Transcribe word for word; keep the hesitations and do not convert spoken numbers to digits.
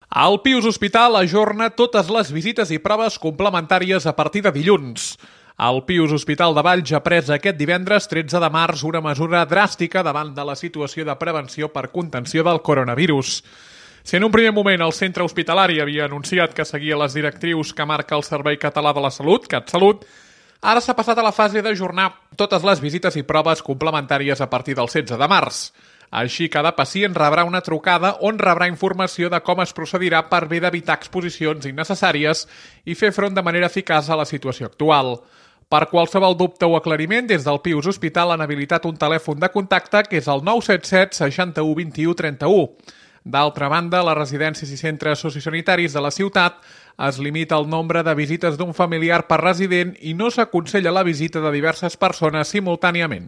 El Pius Hospital ajorna totes les visites i proves complementàries a partir de dilluns. El Pius Hospital de Valls ha pres aquest divendres tretze de març una mesura dràstica davant de la situació de prevenció per contenció del coronavirus. Si en un primer moment el centre hospitalari havia anunciat que seguia les directrius que marca el Servei Català de la Salut, CatSalut, ara s'ha passat a la fase d'ajornar totes les visites i proves complementàries a partir del setze de març. Així, cada pacient rebrà una trucada on rebrà informació de com es procedirà per bé d'evitar exposicions innecessàries i fer front de manera eficaç a la situació actual. Per qualsevol dubte o aclariment, des del Pius Hospital han habilitat un telèfon de contacte que és el nou set set seixanta-u vint-i-u trenta-u. D'altra banda, les residències i centres sociosanitaris de la ciutat es limita el nombre de visites d'un familiar per resident i no s'aconsella la visita de diverses persones simultàniament.